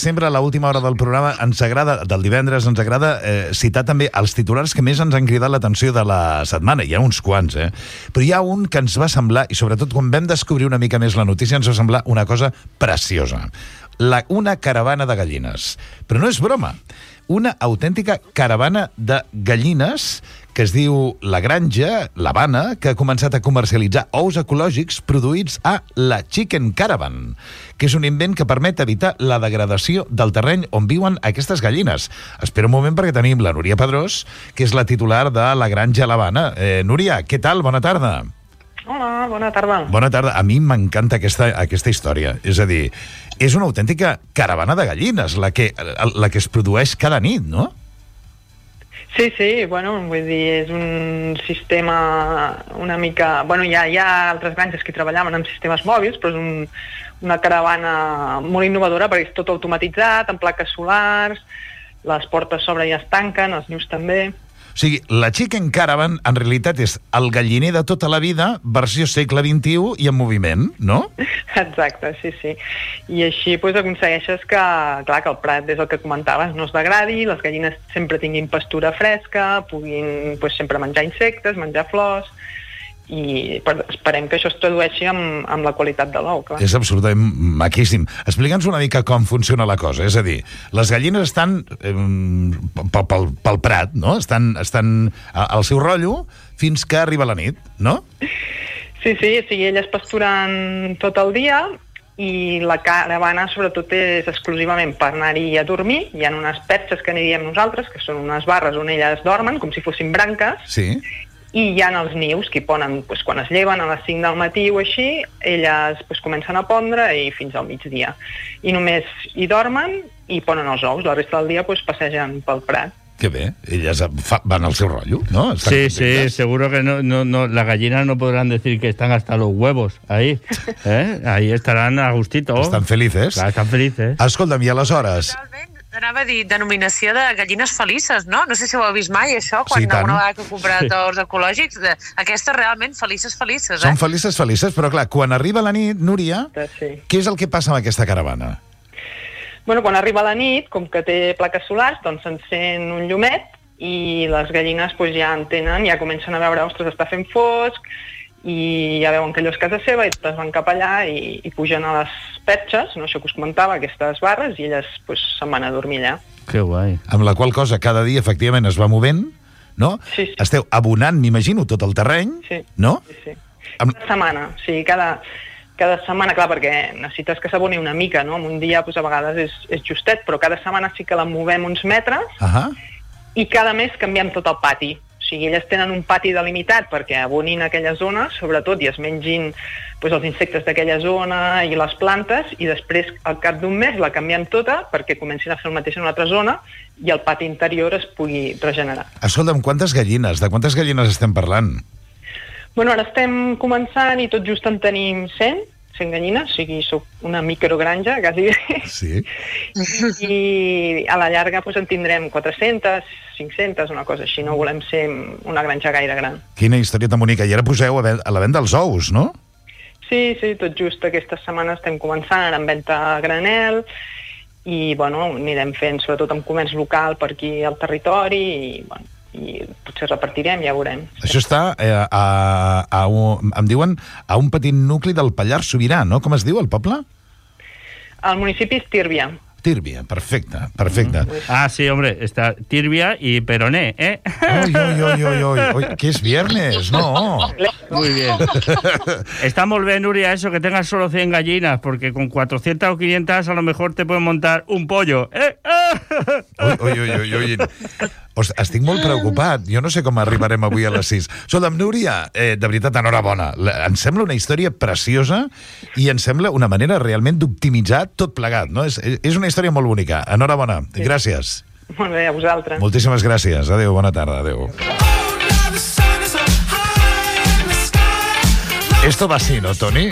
Sempre a l'última hora del programa del divendres ens agrada citar també els titulars que més ens han cridat l'atenció de la setmana. Hi ha uns quants, però hi ha un que ens va semblar, i sobretot quan vam descobrir una mica més la notícia, ens va semblar una cosa preciosa. Una caravana de gallines. Però no és broma. Una autèntica caravana de gallines que es diu La Granja, l'Havana, que ha començat a comercialitzar ous ecològics produïts a la Chicken Caravan, que és un invent que permet evitar la degradació del terreny on viuen aquestes gallines. Espera un moment perquè tenim la Núria Pedrós, que és la titular de La Granja, l'Havana. Núria, què tal? Bona tarda. Hola, bona tarda. Bona tarda. A mi m'encanta aquesta història. És a dir, és una autèntica caravana de gallines la que es produeix cada nit, no? Sí, bueno, vull dir, és un sistema una mica... Bueno, hi ha altres granges que treballaven amb sistemes mòbils, però és una caravana molt innovadora perquè és tot automatitzat, amb plaques solars, les portes sobre ja es tanquen, els nius també... O sigui, la Chicken Caravan en realitat és el galliner de tota la vida, versió segle XXI i en moviment, no? Exacte, sí. I així aconsegueixes que el prat, des del que comentaves, no es degradi, les gallines sempre tinguin pastura fresca, puguin sempre menjar insectes, menjar flors, i esperem que això es tradueixi amb la qualitat de l'ou, clar. És absolutament maquíssim. Explica'ns una mica com funciona la cosa. És a dir, les gallines estan pel prat, no? Estan al seu rotllo fins que arriba la nit, no? Sí, elles pasturen tot el dia i la caravana sobretot és exclusivament per anar-hi a dormir. Hi ha unes perxes que n'hi diem nosaltres, que són unes barres on elles dormen, com si fossin branques. Sí. I hi ha els nius que hi ponen, quan es lleven a les 5 del matí o així, elles comencen a pondre i fins al migdia. I només hi dormen i ponen els ous. La resta del dia passegen pel prat. Que bé, elles van al seu rotllo, ¿no? Sí, seguro que no, las gallinas no podrán decir que están hasta los huevos ahí, ahí estarán a gustito. Estan felices. Clar, estan felices. Escolta'm, i aleshores... Anava a dir denominació de gallines felices, no? No sé si ho heu vist mai, això, quan alguna vegada que he comprat ous ecològics, aquestes realment felices, Són felices, però clar, quan arriba la nit, Núria, què és el que passa amb aquesta caravana? Bueno, quan arriba la nit, com que té plaques solars, doncs s'encén un llumet i les gallines ja entenen, ja comencen a veure, ostres, està fent fosc, i ja veuen que allò és casa seva i totes van cap allà i pugen a les perxes, no, això que us comentava, aquestes barres, i elles se'n van a dormir allà. Que guai. Amb la qual cosa cada dia efectivament es va movent, no? Sí. Esteu abonant, m'imagino, tot el terreny, no? Sí. Cada setmana, cada setmana, clar, perquè necessites que s'aboni una mica, no? En un dia, a vegades és justet, però cada setmana sí que la movem uns metres i cada mes canviem tot el pati. O sigui, elles tenen un pati delimitat perquè abonin aquella zona, sobretot, i es mengin els insectes d'aquella zona i les plantes, i després, al cap d'un mes, la canviem tota perquè comencin a fer el mateix en una altra zona i el pati interior es pugui regenerar. Escolta'm, de quantes gallines estem parlant? Bueno, ara estem començant i tot just en tenim 100 gallines, o sigui, soc una microgranja, quasi bé. Sí. I a la llarga en tindrem 400, 500, una cosa així, no volem ser una granja gaire gran. Quina història tan bonica. I ara poseu a la venda els ous, no? Sí, tot just aquesta setmana estem començant ara amb venda a granel i, anirem fent sobretot amb comerç local per aquí al territori i potser repartirem, ja veurem. Això està em diuen, a un petit nucli del Pallars Sobirà, no? Com es diu el poble? El municipi és Tírvia. Tírvia, perfecte. Ah, sí, hombre, está Tírvia y Peroné, ¿eh? Uy, que es viernes, no. Muy bien. Está muy bien, Nuria, eso, que tengas solo 100 gallinas, porque con 400 o 500 a lo mejor te pueden montar un pollo, ¿eh? Ui. Estic molt preocupat. Jo no sé com arribarem avui a les 6. Escolta'm, Núria, de veritat, enhorabona. Em sembla una història preciosa i em sembla una manera realment d'optimitzar tot plegat, no? És una història molt bonica. Enhorabona. Gràcies. Molt bé, a vosaltres. Moltíssimes gràcies. Adéu, bona tarda. Adéu. Esto va así, ¿no, Toni?